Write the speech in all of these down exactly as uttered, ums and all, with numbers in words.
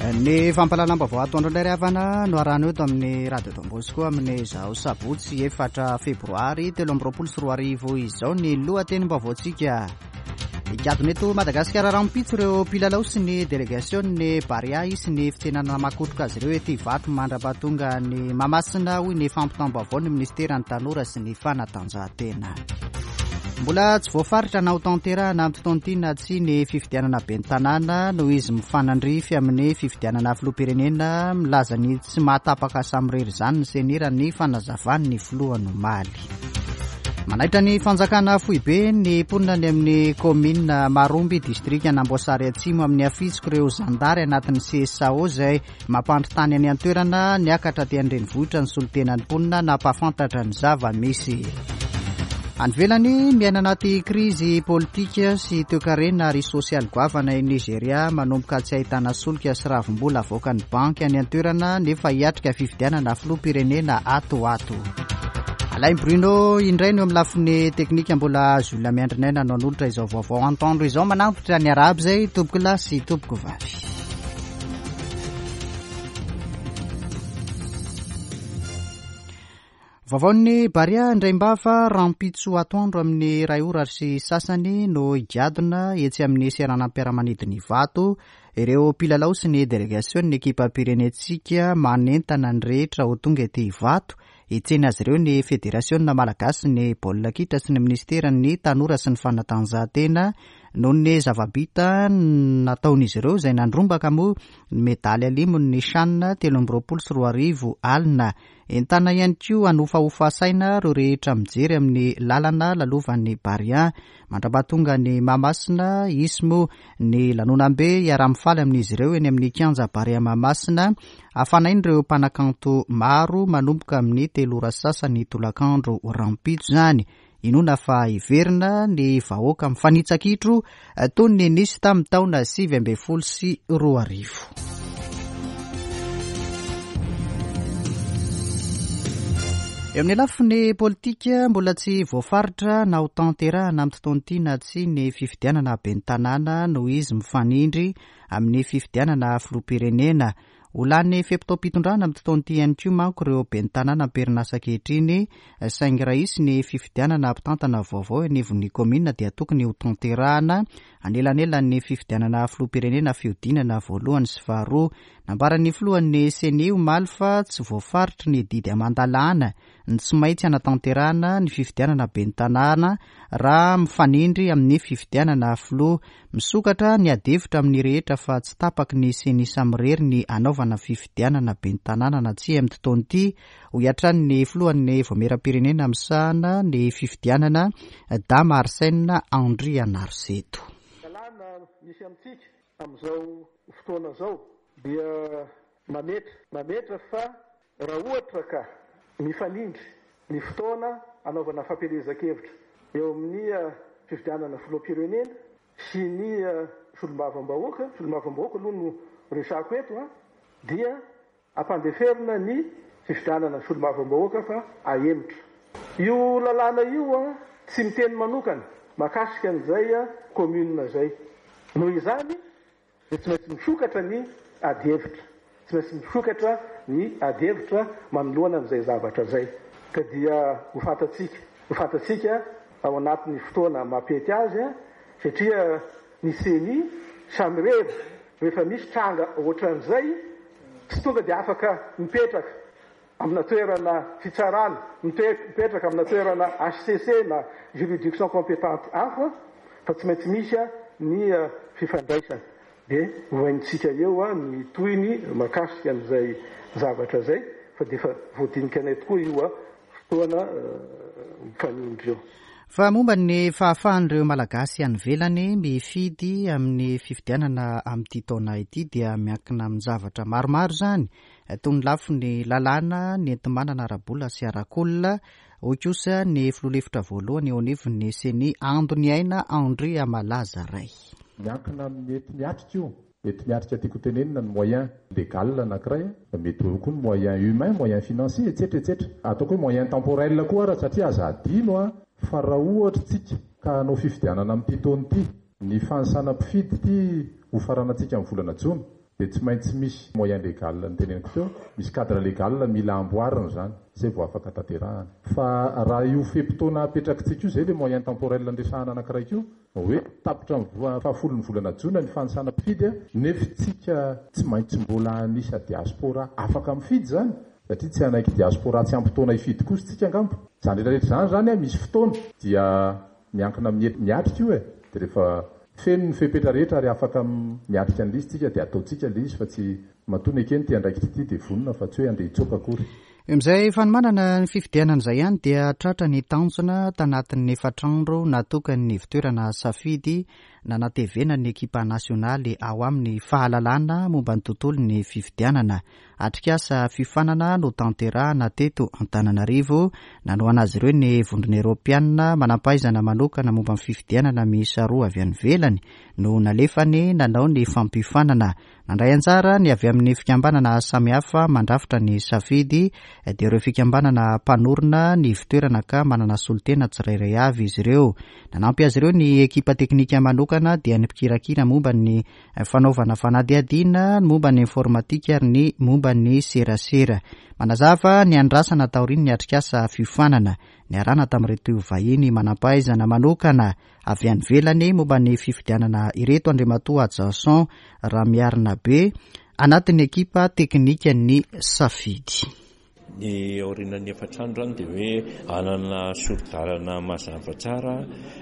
Ny fampahalalam-baovao atoandro indray ry havana no arahana eto amin'ny Radio Don Bosco amin'izao sabotsy efatra febroary telo amby roapolo sy roa arivo izao ny lohatenim-baovaontsika. Higadona eto Madagasikara rahampitso ireo mpilalao sy ny delegasion'ny Barea sy ny fitsenana makotroka azy ireo ety Ivato mandra-pahatonga ny Mahamasina, hoy ny fampitam-baovao ny ministeran'ny tanora sy ny fanatanjahantena. Mbola tsy voafaritra na ho tanterahana amin'ny fotoana ity na tsia ny fifidianana ben'ny tanàna noho izy mifanandrify amin'ny fifidianana filoham-pirenena. Milaza ny tsy mahatapaka samirery izany ny CENI raha ny fanazavan'ny filohany omaly. Manaitra ny fanjakana foibe ny mponina any amin'ny kaominina Maromby, distrikan'Amboasary Atsimo, amin'ny afitsiko ireo zandary anatin'ny C S A O izay mampandry tany any an-toerana. Niakatra aty an-drenivohitra ny solontenan'ny mponina nampahafantatra ny zava-misy. Any ivelany, miaina anaty krizy politika sy toekarena ary sosialy goavana i Nigeria, manomboka tsy ahitana solika sy ravim-bola avoakan'ny banky any an-toerana, nefa hiatrika fifidianana filoham-pirenena ato ato. Alain Bruno indray no amin'ny lafiny teknika, mbola Jules Miandrinaina no hanolotra izao vaovao antoandro izao. Manampitra ny araby izay tompoko lahy sy tompoko vavy. Vaovaon'ny Barea indray mbafa rahampitso atoandro amin'ny iray ora sy sasany no higadona etsy amin'ny seranam-piaramanidina Ivato ireo mpilalao sy ny delegasion'ny ekipam-pirenentsika. Manentana ny rehetra ho tonga ety Ivato hitsena azy ireo ny Federasiona Malagasy ny baolina kitra sy ny ministeran'ny tanora sy ny fanatanjahantena noho ny zava-bita nataon'izy ireo izay nandrombaka moa ny medaly alimo ny CHAN telo amby roapolo sy roa arivo alina. Entana ihany koa hanofahofa saina ireo rehetra mijery amin'ny lalana lalovan'ny Barea mandra-pahatonga ny Mahamasina. Hisy moa ny lanonam-be hiara-mifaly amin'izy ireo eny amin'ny kianja Barea Mahamasina, hafanain'ireo mpanakanto maro, manomboka amin'ny telo ora sasany tolakandro rahampitso izany. Inoana fa hiverina ny vahoaka mifanitsa-kitro toy ny nisy tamin'ny taona sivy ambin'ny folo sy roa arivo. Eo amin'ny lafiny politika, mbola tsy voafaritra na ho tanterahana amin'ny fotoana ity na tsia ny fifidianana ben'ny tanàna noho izy mifanindry amin'ny fifidianana filoham-pirenena. Ho lany fe-potoam-pitondrana amin'ny fotoana ity ihany koa manko ireo ben'ny tanàna am-perinasa ankehitriny, saingy raha hisy ny fifidianana mpitantana vaovao anivon'ny kaominina dia tokony ho tanterahana anelanelan'ny fifidianana filoham-pirenena fihodinana voalohany sy faharoa. Nambaran'ny filohan'ny CENI omaly fa tsy voafaritry ny didy aman-dalàna ny tsy maintsy hanatanterahana ny fifidianana ben'ny tanàna raha mifanindry amin'ny fifidianana filoha. Misokatra ny adihevitra amin'ny rehetra fa tsy tapaky ny CENI samirery ny hanaovana fifidianana ben'ny tanàna na tsia amin'ny fotoana ity, hoy hatrany ny filohan'ny vaomieram-pirenena misahana ny fifidianana, Dama Arsène Andrianariseto. Lalàna misy amintsika amin'izao fotoana izao dia mametra mametra fa raha ohatra ka mifanindry ny fotoana anaovana fampielezan-kevitra eo amin'ny fifidianana filoham-pirenena sy ny solombavambahoaka, solombavambahoaka aloha no resako eto a, dia ampandeferina ny fifidianana solombavambahoaka fa ahemotra. Io lalàna io a tsy miteny manokana mahakasika an'izay a commune zay. Noho izany dia tsy maintsy misokatra ny adihevitra, tsy maintsy misokatra ny adihevitra manoloana an'izay zavatra zay, ka dia ho fantatsika ho fantatsika ao anatin'ny fotoana mampety azy a, satria ny CENI samirery rehefa misy tranga ohatran'izay tsy tonga dia afaka mipetraka amina toerana fitsarana, mipetraka amina toerana H C C na juridiction compétente hafa, fa tsy maintsy misy a ny fifandraisana. Dia hohaintsika eo a ny tohiny mahakasika an'izay zavatra zay, fa dia efa voadinika anay tokoa io a fotoana mifanindry eo. Fa momba ny fahafahan'ireo Malagasy any ivelany mifidy amin'ny fifidianana amin'ity taona ity dia miankina amin'ny zavatra maromaro izany, toy ny lafiny lalàna, ny enti-manana ara-bola sy arak'olona, hoy kosa ny filoha lefitra voalohany eo anivon'ny CENI, Andoniaina Andriamalaza Ray. Miankina amin'ny enti-miatrika io. Enti-miatrika tiako tenenina ny moyen légal anankiray, mety ho koa ny moyen humain, moyen financier, etcetera etcetera. Ataoko hoe moyen temporel koa ara, satria aza adino a fa raha ohatra tsika ka hanao fifidianana amin'ity taona ity, ny fanisana mpifidy ity ho faranantsika amin'ny volana jona, Dia tsy maintsy misy moyen légal noteneniko teo, misy cadre légal mila amboarina izany, izay vao afaka tanterahana. Fa raha io fe-potoana apetrakitsika io, izay ilay moyen temporel andresahana anankiray io, hoe tapitra ny fahafolon'ny volana jona ny fanisana mpifidy, nefa tsika tsy maintsy mbola anisa diaspora afaka mifidy izany, satria tsy hanaiky diaspora tsy ampy taona hifidy kosa tsika angamba. Izany rehetra rehetra izany izany misy fotoana dia miankina amin'ny miatrika io e. Dia rehefa feno ny fepetra rehetra ary afaka miatrika an'ilay izy tsika dia ataontsika ilay izy, fa tsy matoa nekeny ity andraikitra ity dia vonona fa tsy hoe andeha hitsoaka akory. Amin'izay fanomanana ny fifidianana izay ihany dia tratra ny tanjona tanatin'ny efatra andro natokan'ny ivontoerana Safidy nanatevena ny ekipa nasionaly ao amin'ny fahalalana momba ny tontolon'ny fifidianana. Atrikasa fiofanana no tanterahana teto Antananarivo, nanohana azy ireo ny vondrona eoropeanina manampahaizana manokana momba ny fifidianana miisa roa avy any ivelany no nalefany nanao ny fampiofanana. Nandray anjara ny avy amin'ny fikambanana samihafa mandrafitra ny Safidy, dia ireo fikambanana mpanorina ny ivontoerana ka manana solontena tsirairay avy izy ireo. Nanampy azy ireo ny ekipa teknika manokana dia ny mpikirakira momba ny fanaovana fanadihadiana, ny momba ny informatika ary ny momba ny serasera. Manazava ny andrasana taorian'ny atrikasa fiofanana niarahana tamin'ireto vahiny manampahaizana manokana avy any ivelany momba ny fifidianana ireto Andriamatoa Jason Ramiarinabe anatin'ny ekipa teknikan'ny Safidy. Ny aorianan'ny efatra andro izany dia hoe hanana sori-dalana mazava tsara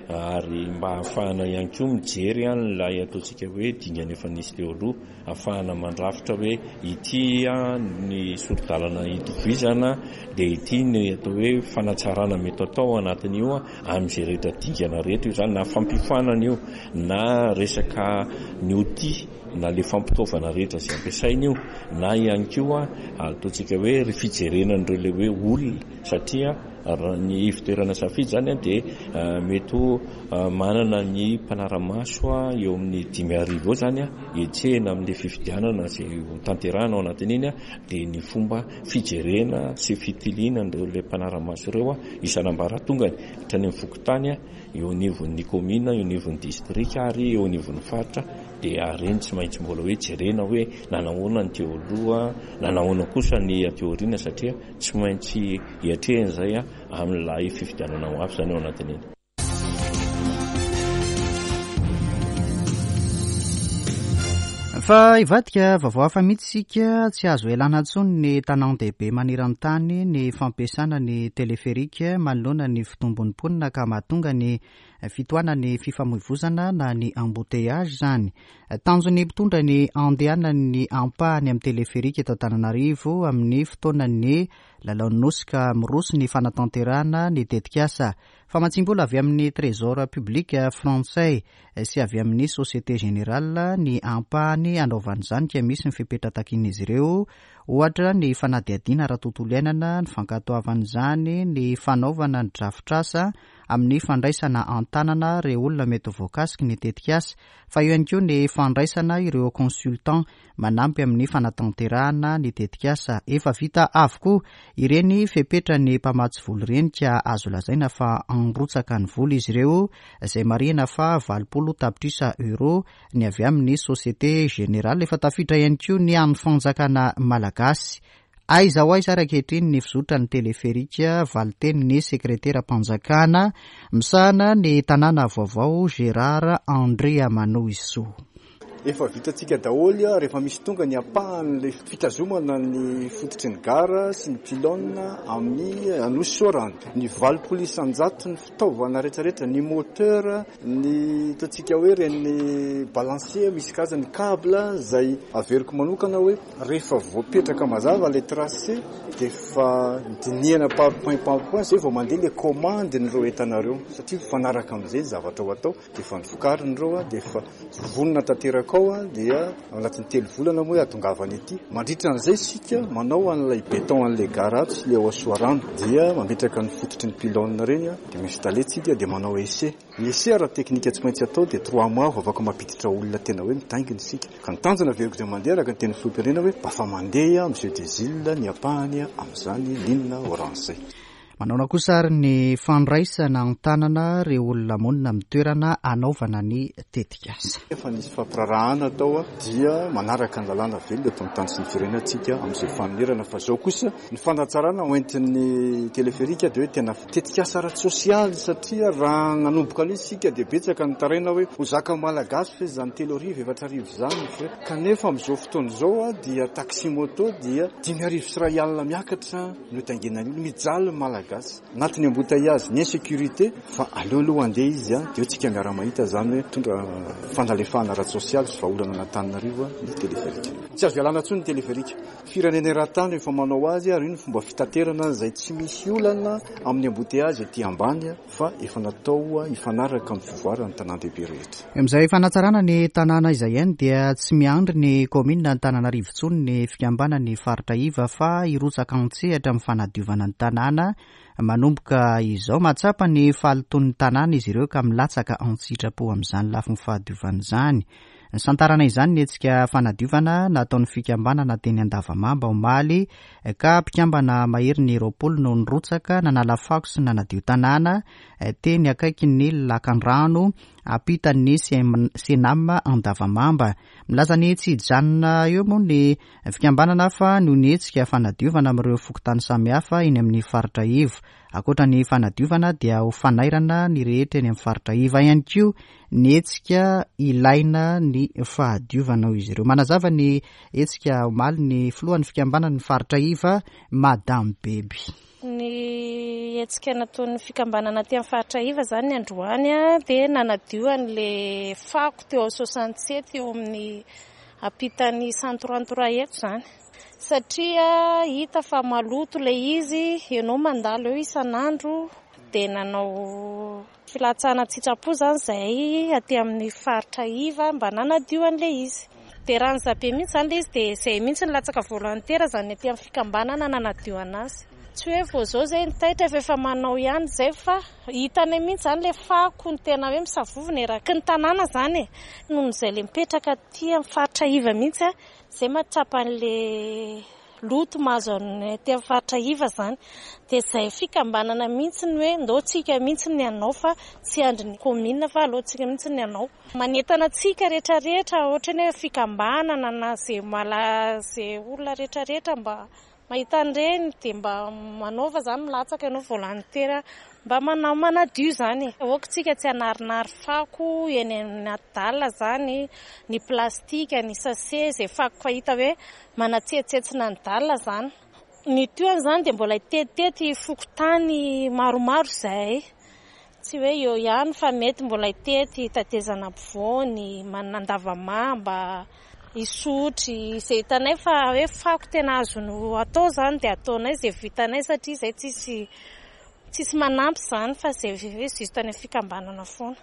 ary mba ahafahana ihany koa mijery an'ilay ataontsika hoe dingana efa nisy teo aloha, ahafahana mandrafitra hoe ity ny sori-dalana itovizana dia ity ny atao hoe fanatsarana mety atao anatin'io amin'izay rehetra dingana rehetra io izany, na fampiofanana io na resaka ny outil na le fampitaovana rehetra izay ampiasaina io, na ihany koa ataontsika hoe ry fijerena an'ireo le hoe olona, satria raha ny ivontoerana Safidy izany dia mety ho manana ny mpanara-maso eo amin'ny dimy arivo eo izany hetsehina amin'ilay fifidianana izay ho tanterahina ao anatin'iny, dia ny fomba fijerena sy fitiliana an'ireo le mpanara-maso ireo isan'ambaratongany hatrany amin'ny fokontany, eo anivon'ny commune, eo anivon'ny distrika ary eo anivon'ny faritra. Dia ireny tsy maintsy mbola hoe jerena hoe nanahoana ny teo aloha, nanahoana kosa ny aty aoriana, satria tsy maintsy hiatrehana izay amin'ilay fifidianana ho avy izany ao anatin'iny. Fa hivadika vaovao hafa mihitsy isika, tsy azo elana intsony ny tanàn-dehibe maneran-tany ny fampiasana ny teleferika manoloana ny fitombon'ny mponina ka mahatonga ny fitohanan'ny fifamoivozana na ny embouteillage izany. Tanjon'ny mpitondra ny andehanan'ny ampahany amin'ny teleferika eto Antananarivo amin'ny fotoanan'ny lalaon'ny Nosy ka miroso ny fanatanterahana ny tetikasa. Famatsiam-bola avy amin'ny Trésor public frantsay sy avy amin'ny Société Générale ny ampahany anaovana izany ka misy ny fepetra takian'izy ireo, ohatra ny fanadihadiana ara-tontolo iainana, ny fankatoavana izany, ny fanaovana ny drafitrasa amin'ny fandraisana an-tanana ireo olona mety ho voakasiky ny tetikasa, fa eo ihany koa ny fandraisana ireo consultant manampy amin'ny fanatanterahana ny tetikasa. Efa vita avokoa ireny fepetra ny mpamatsy vola ireny ka azo lazaina fa androtsaka ny vola izy ireo, izay marihina fa valopolo tapitrisa euro ny avy amin'ny Société Générale. Efa tafiditra ihany koa ny an'ny fanjakana malagasy. Aiza ho aiza ary ankehitriny ny fizotra ny teleferika, valitenin'ny sekreteram-panjakana misahana ny tanàna vaovao Gérard Andriamanohisoa. Efa vitantsika daholo rehefa misy tonga ny ampahan'ilay fitazomana ny fototry ny gara sy ny pylône amin'ny Anosy Soarano. Ny valopolo isan-jato ny fitaovana rehetrarehetra, ny moteur, ny ataontsika hoe ireny balancier misy karazany câble izay averiko manokana hoe rehefa voapetraka mazava ilay tracé dia efa dinihana par point par point izay vao mandeha ilay commande n'ireo entanareo, satria mifanaraka amin'izay ny zavatra ho atao dia efa novokarina ireo dia efa vonona tanteraka ao dia ao anatin'ny telo volana moa hahatongavana ety. Mandritra an'izay isika manao an'ilay béton an'ilay gara ato sy ilay ao Soarano dia mametraka ny fototry ny pylône ireny dia mi-installer tsika dia manao essai. Ny essai ara-teknika tsy maintsy atao dia trois mois vao afaka mampiditra olona tena hoe mitaingina isika. Ka ny tanjona averiko izay mandeha araka ny teny filoham-pirenena hoe mba fa mandeha amin'ny Jeux des Îles ny ampahany amin'izany ligne orange izay. Manaona kosa ary ny fandraisana an-tanana ireo olona monina amin'ny toerana anaovana ny tetikasa. Efa nisy fampirarahana atao dia manaraka ny lalàna velona eto amin'ny tany sy ny firenentsika amin'izay fanonerana, fa izao kosa ny fanatsarana hoentin'ny teleferika dia hoe tena tetikasa ara-tsosialy, satria raha nanomboka an'izy isika dia betsaka ny taraina hoe ho zaka malagasy fe izany telo arivo efatra arivo izany, kanefa amin'izao fotoana izao dia taxi moto dia dimy arivo sy iray alina miakatra no taingenan'ny olona, mijaly malagasy anatin'ny embouteillage, ny insécurité, fa aleo aloha andeha izy a dia tsika miara-mahita izany hoe mitondra fanalefahana ara-tsosialy sy vahaolana an'Antananarivo ny teleferika. Tsy azo ialana intsony ny teleferika, firenena eran-tany efa manao azy ary io ny fomba fitaterana izay tsy misy olana amin'ny embouteillage ety ambany fa efa natao hifanaraka amin'ny fivoaran'ny tanàn-dehibe rehetra. Amin'izay fanatsarana ny tanàna izay ihany dia tsy miandry ny kaominina Antananarivo intsony ny fikambanan'ny faritra iva fa hirotsaka an-tsehatra amin'ny fanadiovana ny tanàna manomboka izao. Mahatsapa ny fahalotoan'ny tanàna izy ireo ka milatsaka an-tsitrapo amin'izany lafiny fahadiovana izany. Nisantarana izany ny hetsika fanadiovana nataon'ny fikambanana teny Andavamamba omaly, ka mpikambana mahery ny roapolo no nirotsaka nanala fako sy nanadio tanàna teny akaikin'ny lakandrano ampitan'ny Senam Andavamamba. Milaza ny tsy hijanona eo moa ny fikambanana fa noho ny hetsika fanadiovana amin'ireo fokontany samihafa eny amin'ny faritra iva. Ankoatra ny fanadiovana dia ho fanairana ny rehetra eny amin'ny faritra iva ihany koa ny hetsika ilaina ny fahadiovana ho izy ireo. Manazava ny hetsika omaly ny filohan'ny fikambanan'ny faritra iva, Madame Beby. Ny hetsika nataon'ny fikambanana aty amin'ny faritra iva izany ny androany dia nanadio an'ilay fako teo amin'ny soixante-sept eo amin'ny ampitan'ny cent trente-trois eto izany. Satria hita fa maloto ilay izy, ianao mandalo eo isan'andro dia nanao filatsahana an-tsitrapo izany izahay aty amin'ny faritra iva mba nanadio an'ilay izy. Dia raha ny zabe mihitsy izany ilay izy dia izay mihitsy ny latsaka volontaire izany aty amin'ny fikambanana nanadio anazy. Tsy hoe vao izao izay nitaitra fa efa manao ihany izay, fa hitanay mihitsy izany ilay fako ny tena hoe misavovona eraky ny tanàna izany e. Noho izay ilay mipetraka aty amin'ny faritra iva mihitsy a, izay mahatsapa an'ilay loto mahazo anay aty amin'ny faritra iva izany. Dia izay fikambanana mihitsy ny hoe ndao tsika mihitsy ny hanao fa tsy andry ny kaominina fa aleo tsika mihitsy ny hanao. Manentana antsika rehetrarehetra ohatra ny hoe fikambanana na izay mala izay olona rehetrarehetra mba mahita an'ireny dia mba manaova izany, milatsaka ianao volontaire mba manao manadio izany. Aoka tsika tsy hanarinary fako eny anaty dala izany, ny plastika, ny sachet, izay fako fahita hoe manatsetsetsina ny dala izany. Ny tohiny izany dia mbola hitetitety fokontany maromaro izahay. Tsy hoe eo ihany fa mety mbola hitety Tatezana ampovoany, Andavamamba, Isotry, izay hitanay fa hoe fako tena azony atao izany dia ataonay izay vitanay satria izay tsisy tsisy manampy izany fa izay hoe juste any amin'ny fikambanana foana.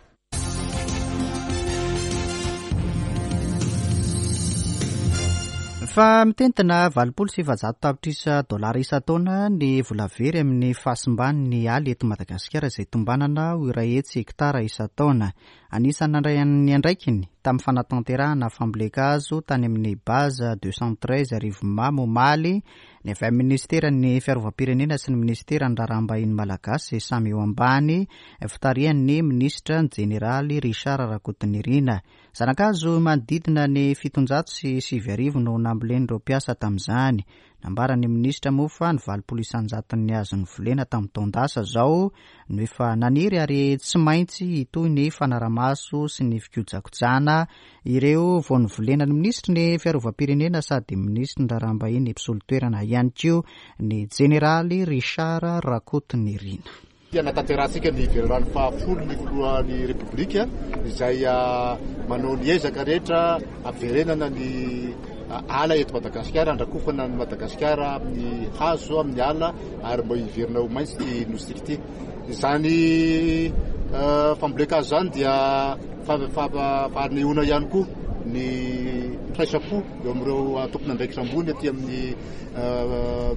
Fa mitentina valopolo sy efajato tapitrisa dolara isan-taona ny vola very amin'ny fahasimban'ny ala eto Madagasikara izay tombanana ho iray hetsy hektara isan-taona. Anisan'ny nandray ny andraikiny tamin'ny fanatanterahana fambolen-kazo tany amin'ny base deux cent treize Arivonimamo omaly ny avy amin'ny ministeran'ny fiarovam-pirenena sy ny ministeran'ny raharaham-bahiny malagasy samy eo ambany fitarihan'ny minisitra ny jeneraly Richard Rakotonirina. Zanakazo manodidina ny fitonjato sy sivy arivo no nambolen'ireo mpiasa tamin'izany. Nambaran'ny minisitra moa fa ny valopolo isan-jaton'ny hazo novolena tamin'ny taon-dasa izao no efa naniry ary tsy maintsy hitohy ny fanaramaso sy ny fikojakojana ireo vao novolena. Ny minisitry ny fiarovam-pirenena sady minisitry ny raharaham-bahiny mpisolo toerana ihany koa ny jeneraly Richard Rakotonirina. Nanatanterahitsika ny velirano fahafolo ny filohan'ny Repoblika izay manao ny ezaka rehetra haverenana ny ala eto Madagasikara, handrakofana ny Madagasikara amin'ny hazo, amin'ny ala ary mba hiverina ho maitso ity nosy ity. Izany fambolen-kazo izany dia fanehoana ihany koa ny firaisam-po eo amin'ireo tompon'andraikitra ambony aty amin'ny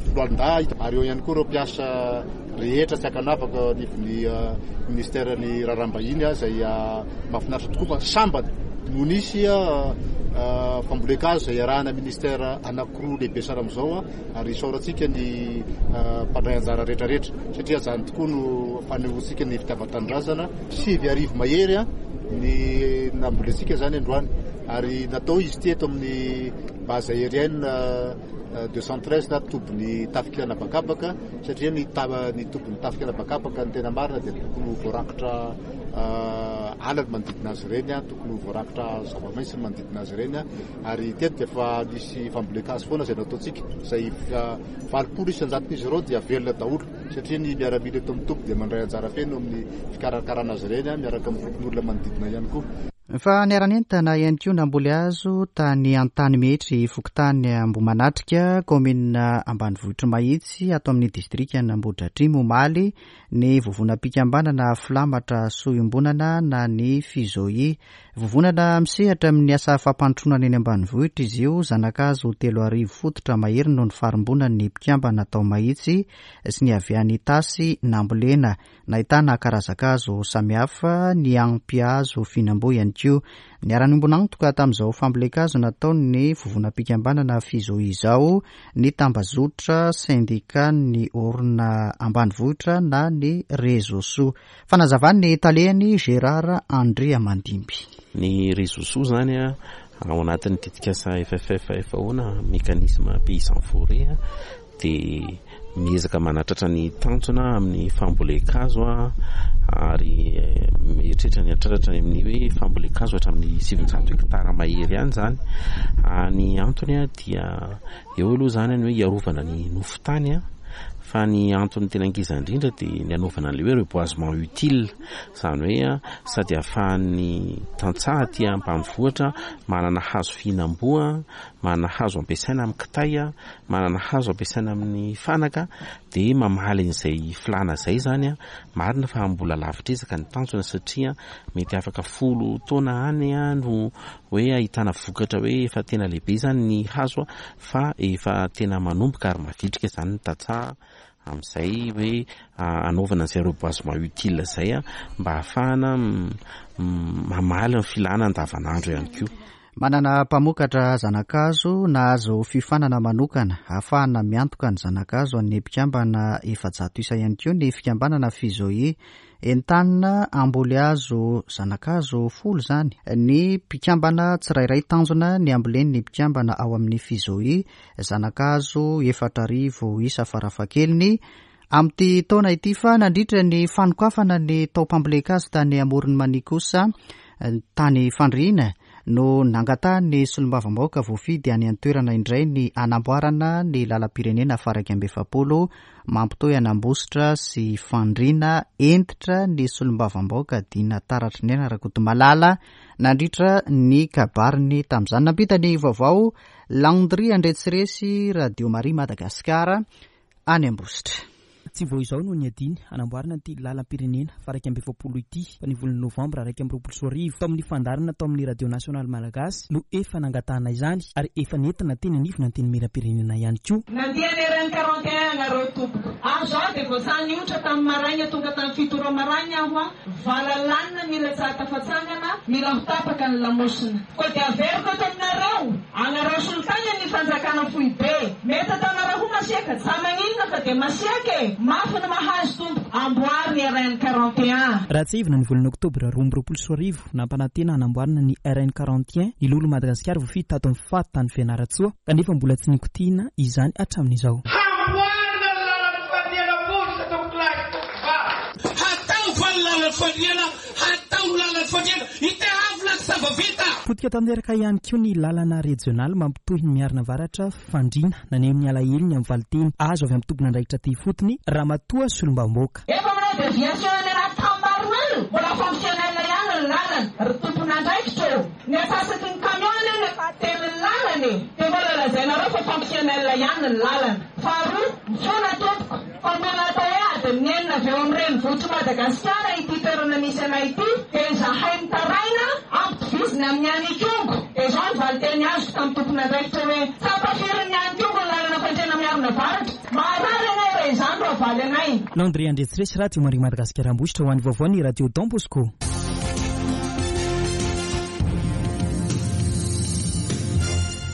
foloalindahy ary eo ihany koa ireo mpiasa rehetra tsy ankanavaka anivon'ny ministeran'ny raharaham-bahiny izay mahafinaritra tokoa fa sambany no nisy fambolen-kazo izay iarahana ministera anankiroa lehibe sara amin'izao, ary isaorantsika ny mpandray anjara rehetrarehetra satria izany tokoa no fanehoantsika ny fitiavan-tanindrazana. Sivy arivo mahery ny nambolentsika izany androany, ary natao izy ity eto amin'ny base aérienne deux cent treize na tobin'ny tafika anabakabaka, satria ny ny tobin'ny tafika anabakabaka ny tena marina dia tokony ho voarakitra ala ny manodidina azy ireny, tokony ho voarakitra zava-maitso ny manodidina azy ireny, ary teto dia efa nisy fambolen-kazo foana izay nataontsika, izay valopolo isan-jaton'izy ireo dia velona daholo satria ny miaramila eto amin'ny toby dia mandray anjara feno amin'ny fikarakarana azy ireny miaraka amin'ny fokonolona manodidina ihany koa. Fa niara-nientana ihany koa namboly hazo tany Antanimetry, fokontany Ambohimanatrika, kaominina ambanivohitry Mahitsy, ato amin'ny distrikan'Ambohidratrimo omaly, ny vovonam-pikambanana Filamatra Soa Iombonana na ny Fizoi. Vovonana misehatra amin'ny asa fampandrosoana eny ambanivohitra izy io, zanakazo telo arivo fototra mahery noho ny farimbonan'ny mpikambana tao Mahitsy sy ny avy any Itasy nambolena. Nahitana karazan-kazo samihafa, ny ampihazo fihinam-boa ihany koa. Niara-niombon'antoka tamin'izao fambolen-kazo nataon'ny vovonam-pikambanana Fizoi izao ny tambazotra sendikan'ny orina ambanivohitra na ny Rezosoa. Fanazavan'ny talehany Gérard Andriamandimby. Ny Rezosoa zany a ao anatin'ny tetikasa F F F F O na mécanisme paysan forêt dia miezaka manatratra ny tanjona amin'ny fambolen-kazo a, ary mieritreritra ny hatratratra ny amin'ny hoe fambolen-kazo hatramin'ny sivinjato hektara mahery ihany zany. Ny antony a dia eo aloha zany ny hoe hiarovana ny nofon-tany a, fa ny antony tena ankiza indrindra dia ny hanaovana an'ilay hoe reboisement utile, izany hoe sady ahafahan'ny tantsaha aty ambanivohitra manana hazo fihinam-boa, manana hazo ampiasaina amin'ny kitay, manana hazo ampiasaina amin'ny fanaka, dia mamaly an'izay filàna izay zany a. Marina fa mbola lavitra ezaka ny tanjona satria mety afaka folo taona any a no hoe ahitana vokatra hoe efa tena lehibe zany ny hazo a, fa efa tena manomboka ary mavitrika zany ny tantsaha amin'izay hoe anaovana an'izay reboisement utile izay a, mba ahafahana mamaly ny filàna andavanandro ihany koa. Manana mpamokatra zanakazo nahazo fiofanana manokana ahafahana miantoka ny zanakazo an'ny mpikambana efajato isa ihany koa ny fikambanana Fizoi. Entanina hamboly hazo zanakazo folo izany ny mpikambana tsirairay, tanjona ny hambolen'ny mpikambana ao amin'ny Fizoi zanakazo efatra arivo isa farafahakeliny amin'ity taona ity. Fa nandritra ny fanokafana ny taom-pambolen-kazo tany Amoron'i Mania kosa tany Fandriana no nangatahany solombavambahoaka voafidy any an-toerana indray ny anamboarana ny lalam-pirenena faha-iraika amby efapolo mampitohy an'Ambositra sy Fandriana. Entitra ny solombavambahoaka Dina Taratry ny Aina Rakotomalala nandritra ny kabariny tamin'izany. Nampita ny vaovao Landry Andretsiresy, Radio Maria Madagasikara, any Ambositra. Tsy vao izao no niadiny hanamboarana ity lalam-pirenena faha-iraika amby efapolo ity fa ny volana novambra iraika amby roapolo sy roa arivo tao amin'ny fandaharana tao amin'ny Radio Nasionaly Malagasy no efa nangatahana izany ary efa nentina teny anivona antenimieram-pirenena ihany koa. Nandeha ny R N quarante et un anareo tompoko. Ary izao dia voasany niotra tamin'ny maraina tonga tamin'ny fito ora maraina aho a, valalanina mila tsara tafatsangana, mila ho tapaka ny lamosina. Koa dia averiko eto aminareo, anareo solotany ny fanjakana foibe. Mety ataonareo ho masiaka, tsy maninona fa dia masiaka e. Mafy ny mahazo tompoko, amboary ny R N quarante et un. Raha tsiahivina ny volana oktobra roa amby roapolo sy roa arivo, nampanantena hanamboarana ny R N quarante et un ny Lolo Madagasikara voafidy tato amin'ny faty tany Fianarantsoa, kanefa mbola tsy nikotiana izany hatramin'izao. Hamboarina ny lalan'ny Fandriana Ambositra, tompokolahy sy tompokovavy. Hatao va ny lalan'ny Fandriana, hatao ny lalan'ny Fandriana, itehavina ny zava-vita. Potika tanteraka ihany koa ny lalana rejionaly mampitohy ny Miarina Avaratra Fandriana, naneho ny alahelony amin'ny valinteny azo avy amin'ny tompon'andraikitra aty ifotony Ramatoa Solombavambahoaka. Efa manao déviation any anaty tambaroelo, mbola fonctionnel ihany ny lalana, ry tompon'andraikitra ô. Ny antsasaky ny camion anie no efa atelin'ny lalana e. Dia mbola lazainareo fa fonctionnel ihany ny lalana. Faharoa, mifona tompoko, fa mbola atao hoe adin'ny enina avy eo amin'ny renivohitr'i Madagasikara ity toerana misy anay ity, dia izahay mitaraina ampitovizina amin'ny any Ikongo. Dia izao ny valinteny azoko tamin'ny tompon'andraikitra hoe tsapa firin'ny any Ikongo ny lalana Fandriana Miarina Avaratra. Maharary anay raha izany no avaly anay. Landry Andretsiresy, Radio Maria Madagasikara Ambositra, ho an'ny vaovao ny Radio Don Bosco.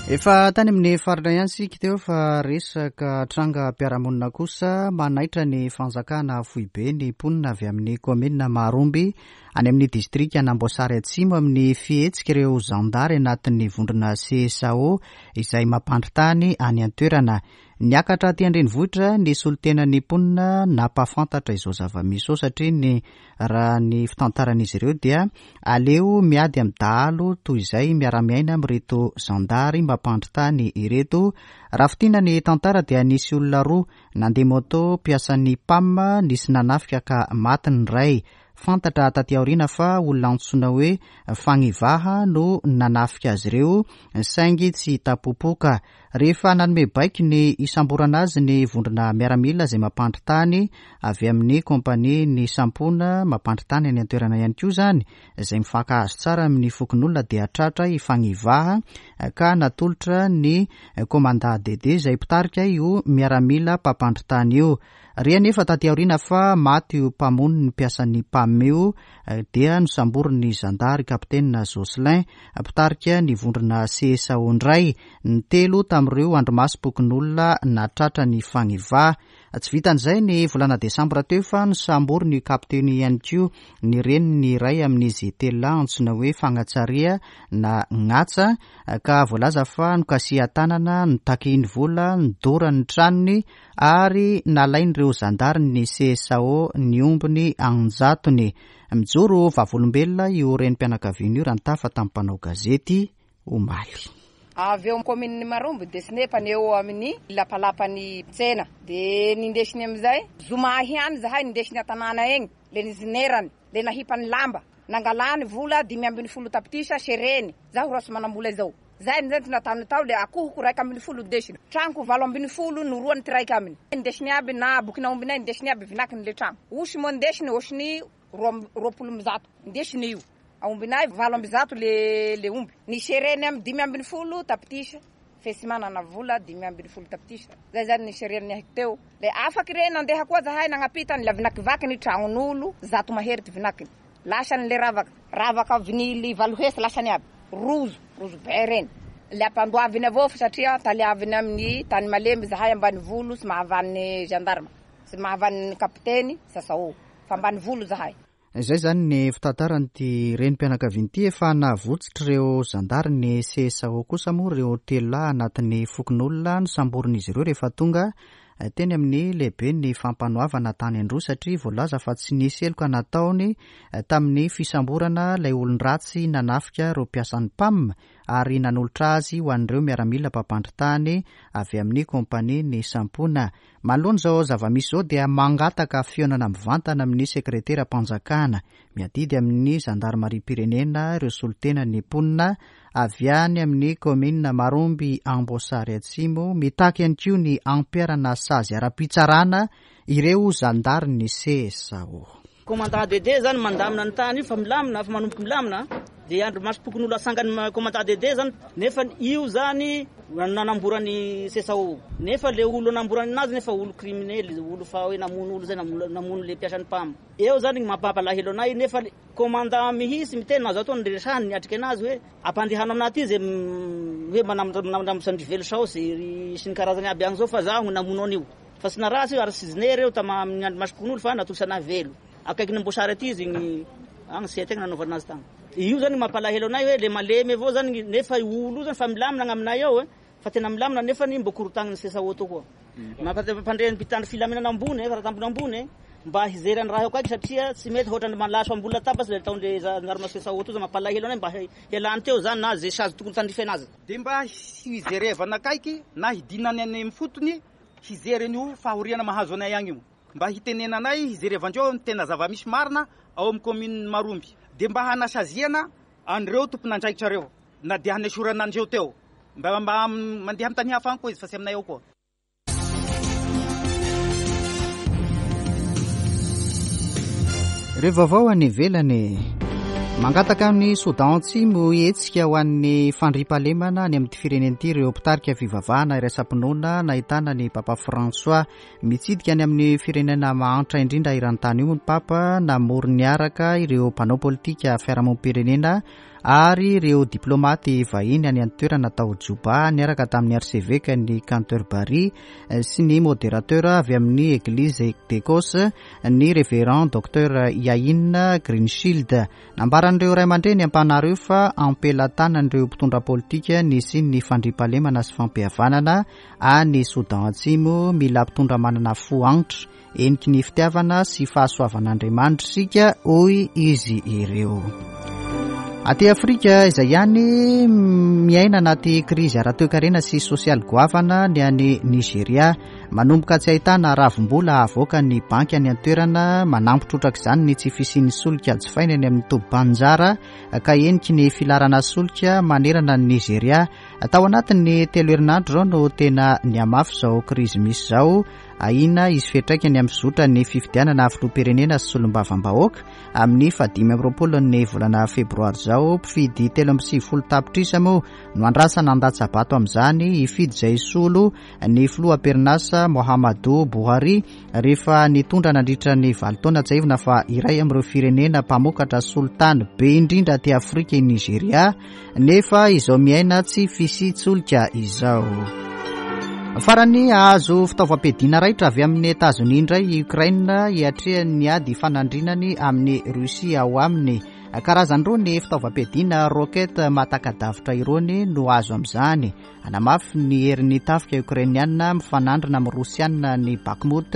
Efa tany amin'ny faritra ihany isika teo fa resaka trangam-piarahamonina kosa manaitra ny fanjakana foibe ny mponina avy amin'ny kaominina Maharomby any amin'ny distrika Namboasary Atsimo amin'ny fihetsika ireo zandary anatin'ny vondrona C S A O izay mampandry tany any an-toerana. Niakatra aty an-drenivohitra ny solontenan'ny mponina nampahafantatra izao zava-misy izao satria ny raha ny fitantaran'izy ireo dia aleo miady amin'ny dahalo toy izay miara-miaina amin'ireto zandary mampandry tany ireto. Raha fintinina ny tantara dia nisy olona roa nandeha moto mpiasan'ny P A M nisy nanafika ka maty ny iray. Fantatra taty aoriana fa olona antsoina hoe Fagnivaha no nanafika azy ireo saingy tsy hita popoka. Rehefa nanome baiko ny hisamborana azy ny vondrona miaramila izay mampandry tany avy amin'ny kompania ny Sampona mampandry tany any an-toerana ihany koa izany izay mifankahazo tsara amin'ny fokonolona dia tratra i Fagnivaha ka natolotra ny komanda Dede izay mpitarika io miaramila mpampandry tany io. Re anefa taty aoriana fa maty io mpamono ny mpiasan'ny P A M io dia nosamborin'ny zandary kapitena Jocelyn mpitarika ny vondrona C S A O indray ny telo tamin'ireo andrimasom-pokonolona natratra ny Fagnivaha. Tsy vitan'izay ny volana desambra teo fa nosamborin'ny kapiteny ihany koa ny reniny iray amin'izy telo lahy antsoina hoe Fagnatsaria na Gnatsa ka voalaza fa nokasihan-tanana, nitaky vola, nidorany ny tranony ary nalain'ireo zandary ny C S A O ny ombiny anjatony. Mijoro vavolombelona io renim-pianakaviana io raha nitafa tamin'ny mpanao gazety omaly. Avy eo amin'ny kaominina Maromby dia sinepany eo amin'ny lapalapany tsena dia nindesiny amin'izay zoma ihany zahay nindesiny an-tanàna eny le nizinerany le nahipany lamba nangalany vola dimy ambin'ny folo tapitrisa sereny zaho raha tsy manam-bola izao zay ny zay nataony tao le akohoko raika ambin'ny folo ndesiny tranoko valo ambin'ny folo noroany ty raika aminy ndesiny aby na bokina ombinay ndesiny aby vinakiny le trano osy moa ndesiny osiny roapolo amby zato ndesiny io aombinay valo amby zato le le omby ny sereny amin'ny dimy ambin'ny folo tapitrisa fe tsy manana vola dimy ambin'ny folo tapitrisa zay zany ny sereny ahiko teo le afaky re nandeha koa zahay nagnapita ny la vinakivaky ny tragnon'olo zato mahery ty vinakiny lasany le ravaka ravaka vinily valo hesy lasany aby rozo rozo be reny le ampandoaviny avao fa satria taliaviny amin'ny tany malemy zahay ambany volo sy mahavan'ny gendarme sy mahavan'ny kapiteny sasao fa ambany volo zahay. Izay zany ny fitantaran'ity renim-pianakaviana ity. Efa navotsitra ireo zandary ny C S A O kosa moa ireo telo lahy anatin'ny fokonolona nosamborin'izy ireo rehefa tonga teny amin'ny lehibe ny fampanoavana tany Androy satria voalaza fa tsy nisy heloka nataony tamin'ny fisamborana ilay olon-dratsy nanafika ireo mpiasan'ny P A M ary nanolotra azy ho an'ireo miaramila mpampandry tany avy amin'ny kompania ny Sampona. Manoloana izao zava-misy izao dia mangataka fihaonana mivantana amin'ny sekreteram-panjakana miadidy amin'ny zandarimariam-pirenena ireo solontenan'ny mponina avy any amin'ny kaominina Maromby Amboasary Atsimo mitaky ihany koa ny ampiharana sazy ara-pitsarana ireo zandarin'ny C S A O. Commandant Dede zany mandamina ny tany io fa milamina fa manomboka milamina dia andrimasom-pokonolona asangany commandant Dede zany nefa io zany nanamborany C S A O nefa le olo namborany anazy nefa olo criminel olo fa hoe namono olo zay namono le mpiasan'ny P A M eo zany ny mampalahelo anay nefa commandant mihitsy miteny na zao atao ny niatrika anazy hoe ampandehano aminahy ty zay hoe manambotra velo saosy sy ny karazany aby agny zao fa zaho namono an'io fa tsy naratsy io ary tsy zinery eo tama amin'ny andrimasom-pokonolona fa natolotra anahy velo akaiky ny Amboasary aty izy igny agny sy tegna nanaovana azy tagny io zany mampalahelo anay hoe le malemy avao zany nefa olo zany fa milamina aminay ao e fa tena milamina nefa ny mbo korontagny C S A O to koa mampandre ny mpitandro filaminana ambony e raha ambony mba hijery ny raha eo akaiky satria tsy mety ohatran'ny malaso ambony latabatra le ataon'le gendarme C S A O to zany mampalahelo anay mba hialany teo zany na zay sazy tokony tandrify anazy dia mba hijerevana akaiky na hidinany any amin'ny fotony hijery an'io fahoriana mahazo anay agny io mba hitenenanay hijerevandreo ny tena zava-misy marina ao amin'ny commune Maromby dia mba hanasaziana an'ireo tompon'andraikitra reo na dia hanesorana andreo teo mba mba mandeha amin'ny tany hafa any koa izy fa tsy aminay ao koa. Ireo vaovao any ivelany. Mangataka amin'ny Soudan Atsimo hetsika ho an'ny fandriampahalemana any amin'ity firenena ity ireo mpitarika fivavahana iraisam-pinoana nahitana ny Papa François. Mitsidika any amin'ny firenena mahantra indrindra eran-tany io ny Papa namory niaraka ireo mpanao politika fiarahamonim-pirenena ary ireo diplomaty vahiny any an-toerana tao Juba niaraka tamin'ny arsevekan'ny Canterbury sy ny modérateur avy amin'ny Église d'Écosse, ny révérend docteur Iain Greenshield. Nambaran'ireo ray aman-dreny ampanareo fa ampelatanan'ireo mpitondra politika nisy ny fandriampahalemana sy fampihavanana any Soudan Atsimo. Mila mpitondra manana fo antra eniky ny fitiavana sy fahasoavan'Andriamanitra isika, hoy izy ireo. Aty Afrika izay ihany, miaina anaty krizy ara-toekarena sy sosialy goavana ny any Nigeria. Manomboka tsy ahitana ravim-bola avoaka ny banky any an-toerana. Manampy trotraka izany ny tsy fisian'ny solika jifaina any amin'ny tobim-panjara ka eniky ny filarana solika manerana ny Nigeria. Tao anatin'ny telo herinandro izao no tena nihamafy izao krizy misy izao. Ahiana izy fiantraikany amin'ny fizotra ny fifidianana filoham-pirenena sy solombavambahoaka amin'ny fahadimy amby roapolo ny volana febroary izao. Mpifidy telo amby sivifolo tapitrisa moa no andrasana handatsa-bato amin'izany, hifidy izay solo ny filoha am-perinasa Muhammadu Buhari rehefa nitondra nandritra ny valo taona. Tsiahivina fa iray amin'ireo firenena mpamokatra solitany be indrindra aty Afrika i Nigeria, nefa izao miaina tsy fisian-tsolika izao. Farany, azo fitaovam-piadiana raitra avy amin'ny Etazonia indray i Ukraine hiatrehany ady fanandrinany amin'ny Russie ao aminy. Karazany roa ny fitaovam-piadiana roquette mahataka-davitra irony no azo amin'izany. Anamafy ny herin'ny tafika ukrainiana mifanandrina amin'ny Rosiana ny Bakhmut,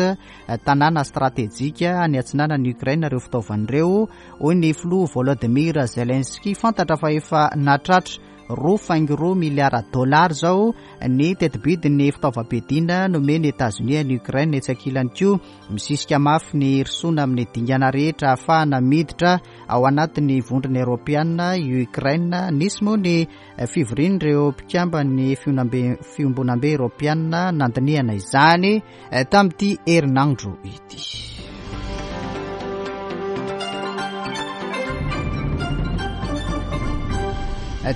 tanàna stratejika any atsinanan'i Ukraine, ireo fitaovana ireo, hoy ny filoha Volodymyr Zelensky. Fantatra fa efa natratra roa faingo roa miliara dolara izao ny tetibidin'ny fitaovam-piadiana nomeny Etazonia ny Ukraine. Etsy ankilany koa, misisika mafy ny hirosoana amin'ny dingana rehetra ahafahana miditra ao anatin'ny vondrona eoropeana i Ukraine. Nisy moa ny fivorian'ireo mpikamban'ny fiombonambe eoropeana nandinihana izany tamin'ity herinandro ity.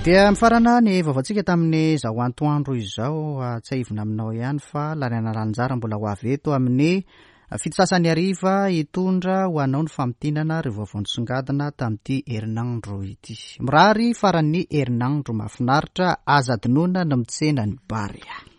Dia mifarana ny vaovaontsika tamin'ny izao antoandro izao. Tsiahivina aminao ihany fa Lariana Lanjara mbola ho avy eto amin'ny fito sasany hariva hitondra ho anao ny famintinana ireo vaovao nisongadina tamin'ity herinandro ity. Mirary faran'ny herinandro mahafinaritra, aza adinoina ny mitsena ny Barea.